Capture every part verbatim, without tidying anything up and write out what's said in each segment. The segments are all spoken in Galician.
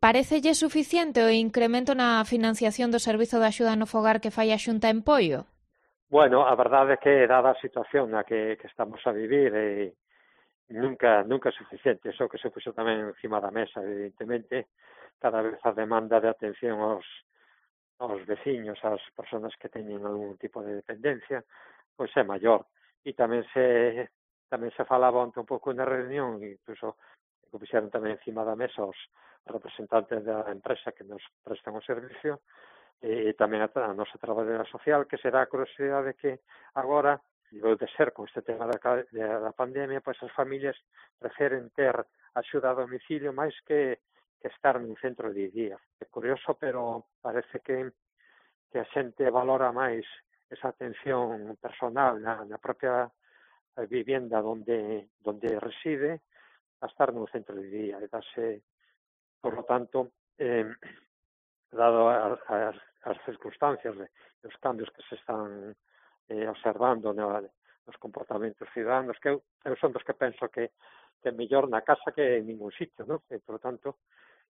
Parécelle suficiente o incremento na financiación do Servizo de Axuda no Fogar que fai a Xunta en Poio? Bueno, a verdade é que, dada a situación na que, que estamos a vivir, eh, nunca nunca é suficiente. Iso que se puxo tamén encima da mesa, evidentemente, cada vez a demanda de atención aos, aos veciños, ás persoas que teñen algún tipo de dependencia, pois é maior. E tamén se tamén se falaba onte un pouco na reunión, incluso que puxeron tamén encima da mesa os representantes da empresa que nos prestan o servicio, e tamén a, a nosa traballadora social, que será a curiosidade que agora, debe de ser con este tema da, da pandemia, pois as familias preferen ter axuda a domicilio máis que, que estar nun centro de día. É curioso, pero parece que, que a xente valora máis esa atención personal na, na propia vivienda donde, donde reside a estar nun centro de día. E dase, por lo tanto, eh, dado as, as, as circunstancias e os cambios que se están eh, observando no, nos comportamentos ciudadanos, que eu, eu son dos que penso que, que é mellor na casa que en ningún sitio, ¿no? E, por lo tanto,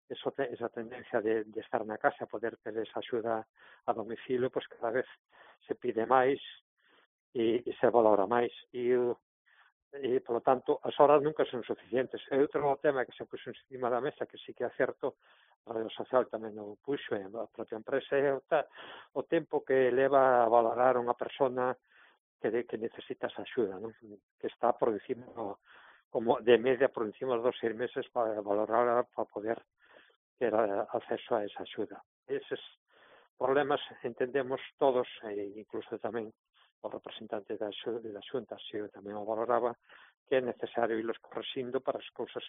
eso te, esa tendencia de, de estar na casa, poder ter esa axuda a domicilio, pois pues cada vez se pide máis e, e se valora máis. E, e, por lo tanto, as horas nunca son suficientes. E outro tema que se puxo encima da mesa, que sí que é certo, a Radio Social tamén o puxo, e a propia empresa, é o, o tempo que leva a valorar unha persona que, de, que necesita esa axuda, ¿no? Que está por encima, como de media por encima dos seis meses para valorar, para poder ter acceso a esa axuda. Eses problemas entendemos todos, e incluso tamén o representante da, da Xunta se tamén o valoraba, que é necesario irlos correxindo para as cousas,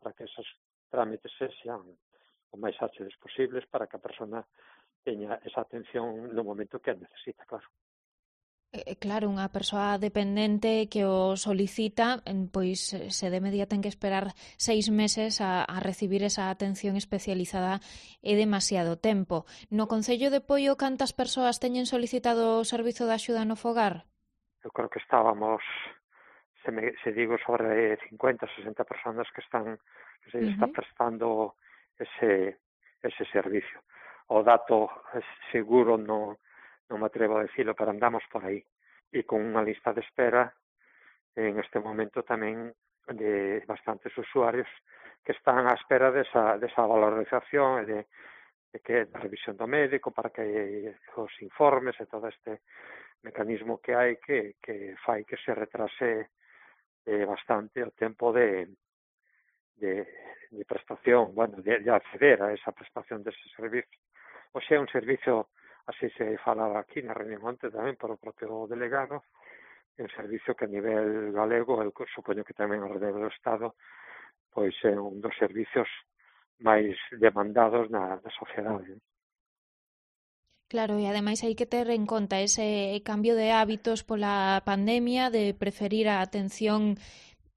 para que esos trámites sean o máis áxiles posibles, para que a persona teña esa atención no momento que a necesita, claro. Eh, claro, unha persoa dependente que o solicita, pois se de media ten que esperar seis meses a, a recibir esa atención especializada é demasiado tempo. No Concello de Poio, cantas persoas teñen solicitado o servizo de axuda no fogar? Eu creo que estábamos, se, me, se digo, sobre cincuenta, sesenta personas que están que se uh-huh. está prestando ese, ese servicio. O dato seguro non non me atrevo a decirlo, pero andamos por aí. E con unha lista de espera en este momento tamén de bastantes usuarios que están á espera desa, desa valorización e de, de que da revisión do médico para que os informes e todo este mecanismo que hai que, que fai que se retrase eh, bastante o tempo de, de, de prestación, bueno, de, de acceder a esa prestación dese servicio. O sea, un servicio, así se falaba aquí na reunión antes tamén por o propio delegado, un servicio que a nivel galego, eu supoño que tamén ao redor do Estado, pois é un dos servicios máis demandados na, na sociedade. Claro, e ademais hai que ter en conta ese cambio de hábitos pola pandemia, de preferir a atención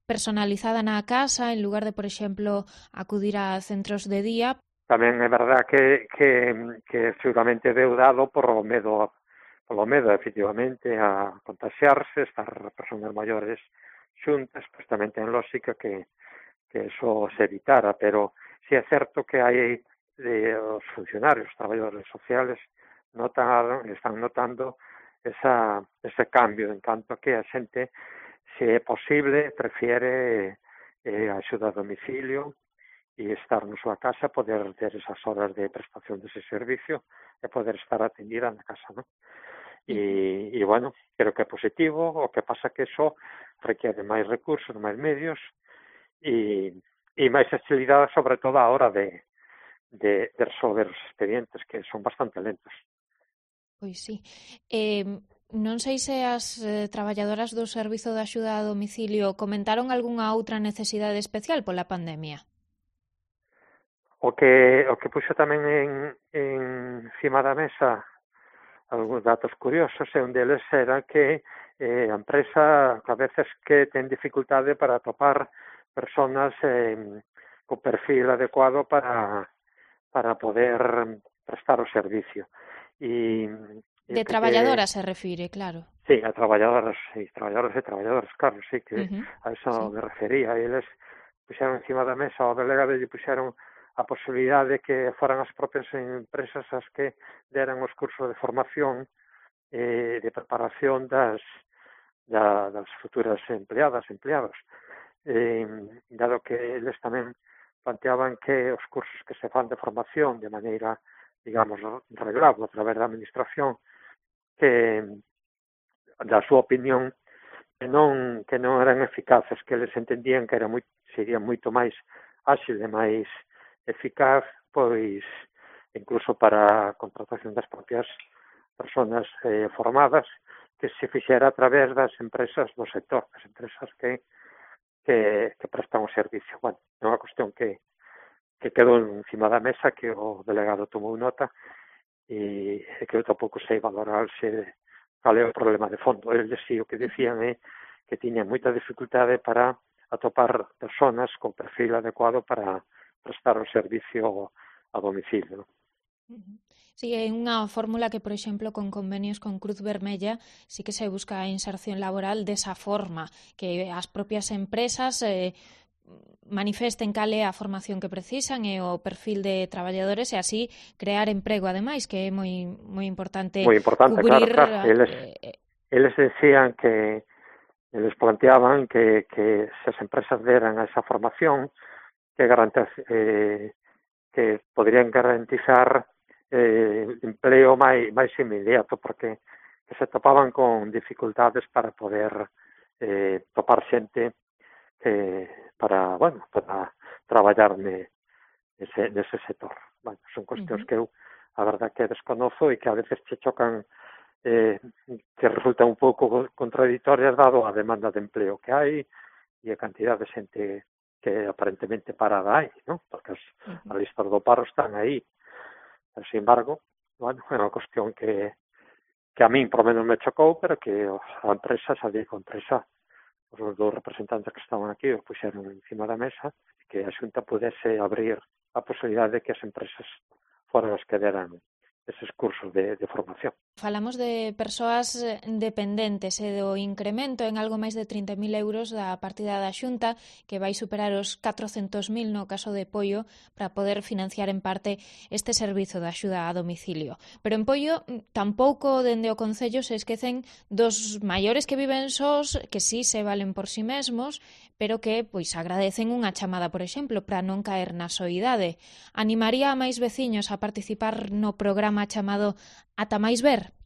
personalizada na casa en lugar de, por exemplo, acudir a centros de día. Tamén é verdad que, que, que seguramente deu dado por o medo, polo medo, efectivamente, a contaxiarse, estar persoas maiores xuntas, pois tamén ten lógica que, que eso se evitara, pero si é certo que hai de, os funcionarios, os traballadores sociales, notan, están notando esa, ese cambio, en canto que a xente, se é posible, prefiere eh, a axuda a domicilio, e estar na súa casa, poder ter esas horas de prestación dese servicio e poder estar atendida na casa, non? E, e, bueno, creo que é positivo, o que pasa que eso requiere máis recursos, máis medios e, e máis agilidade, sobre todo a hora de, de, de resolver os expedientes, que son bastante lentos. Pois sí. Eh, non sei se as eh, traballadoras do Servizo de Axuda a Domicilio comentaron algunha outra necesidade especial pola pandemia. O que o que puxo tamén en, en cima da mesa algúns datos curiosos, e un deles era que eh, a empresa a veces que ten dificultade para atopar personas eh, co perfil adecuado para, para poder prestar o servicio. E, e de traballadoras que, se refire, claro. Sí, a traballadoras, sí, traballadoras e traballadoras, claro, sí, que uh-huh. a eso sí. me refería. E eles puxeron encima da mesa, o delegado lle puxeron a posibilidade de que foran as propias empresas as que deran os cursos de formación e de preparación das, da, das futuras empleadas, empleados. Eh, dado que eles tamén planteaban que os cursos que se fan de formación de maneira, digamos, reglado a través da administración, que da súa opinión que non que non eran eficaces, que eles entendían que era moi, sería moito máis áxil e máis eficaz, pois incluso para a contratación das propias persoas eh, formadas, que se fixera a través das empresas do sector, das empresas que que, que prestan o servicio. Bueno, é unha cuestión que, que quedou encima da mesa, que o delegado tomou nota e, e que eu tampouco sei valorarse cal é o problema de fondo. Eles si o que decían é que tiñan moita dificultade para atopar persoas con perfil adecuado para prestar o servicio a domicilio. Sí, é unha fórmula que, por exemplo, con convenios con Cruz Vermella sí que se busca a inserción laboral desa forma, que as propias empresas eh, manifesten cal é a formación que precisan e o perfil de traballadores e así crear emprego, ademais, que é moi moi importante, moi importante, cubrir... claro, claro. Eles, eh, eles decían que eles planteaban que, que se as empresas deran esa formación que garantiz, eh, que podrían garantizar eh, empleo máis, máis inmediato, porque que se topaban con dificultades para poder eh, topar xente que para, bueno, para traballar ne, nese, nese sector. Bueno, son cuestións uh-huh. que eu, a verdad, que desconozo e que a veces che chocan, eh, que resultan un pouco contradictorias dado a demanda de empleo que hai e a cantidad de xente que aparentemente parada hai, ¿no? Porque as, uh-huh. as listas do paro están aí. Pero, sin embargo, bueno, é unha cuestión que, que a min, por menos, me chocou, pero que a empresa, a digo, a empresa, os dous representantes que estaban aquí, os puxeron encima da mesa, que a Xunta pudese abrir a posibilidade de que as empresas foran as que deran eses cursos de, de formación. Falamos de persoas dependentes e do incremento en algo máis de trinta mil euros da partida da Xunta, que vai superar os catrocentos mil no caso de Poio, para poder financiar en parte este servizo de axuda a domicilio. Pero en Poio tampouco dende o Concello se esquecen dos maiores que viven sós, que sí se valen por si mesmos, pero que pois agradecen unha chamada, por exemplo, para non caer na soidade. Animaría a máis veciños a participar no programa chamado Ata Máis Ver?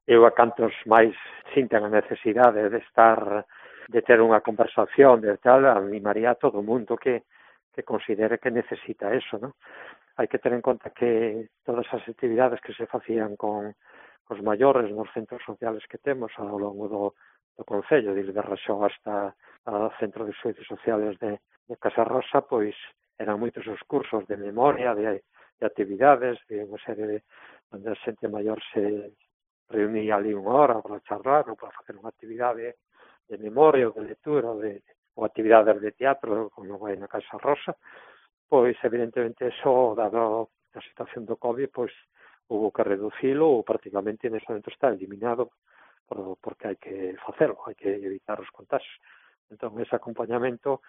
Eu a cantos máis sinten a necesidade de estar, de ter unha conversación, de tal, animaría a todo o mundo que, que considere que necesita eso, ¿no? Hai que ter en conta que todas as actividades que se facían con os maiores nos centros sociales que temos ao longo do, do Concello, desde Raxó hasta o Centro de Servicios Sociales de, de Casa Rosa, pois eran moitos os cursos de memoria, de, de actividades, de unha serie de onde a xente maior se reunía ali unha hora para charlar ou para facer unha actividade de memoria ou de lectura ou, de, ou actividades de teatro, como vai na Casa Rosa, pois evidentemente eso, dado a situación do COVID, pois hubo que reducilo ou prácticamente nese momento está eliminado por, porque hai que facelo, hai que evitar os contagios. Entón, ese acompañamento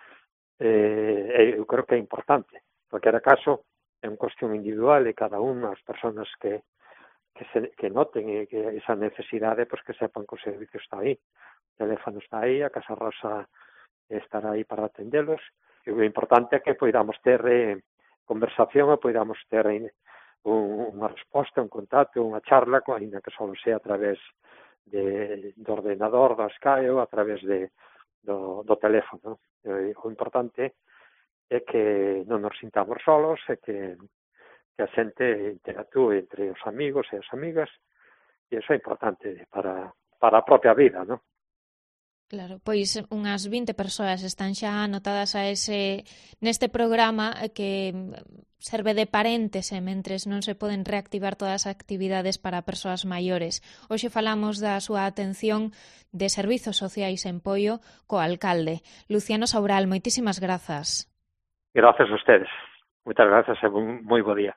eh, eu creo que é importante. En cualquier caso, é unha cuestión individual e cada unha das persoas que que, se, que noten e que esa necesidade, pois que sepan que o servicio está aí. O teléfono está aí, a Casa Rosa estará aí para atendelos. E o importante é que poidamos ter eh, conversación e poidamos ter eh, un, unha resposta, un contacto, unha charla, ainda que só sea a través de, do ordenador, da Skype ou a través de, do, do teléfono. E, o importante é que non nos sintamos solos e que que a xente interactúe entre os amigos e as amigas, e iso é importante para, para a propia vida, non? Claro, pois unhas vinte persoas están xa anotadas a ese neste programa que serve de paréntese mentres non se poden reactivar todas as actividades para persoas maiores. Hoxe falamos da súa atención de servizos sociais en Poio co alcalde. Luciano Saural, moitísimas grazas. Grazas a ustedes. Moitas grazas e moi bo día.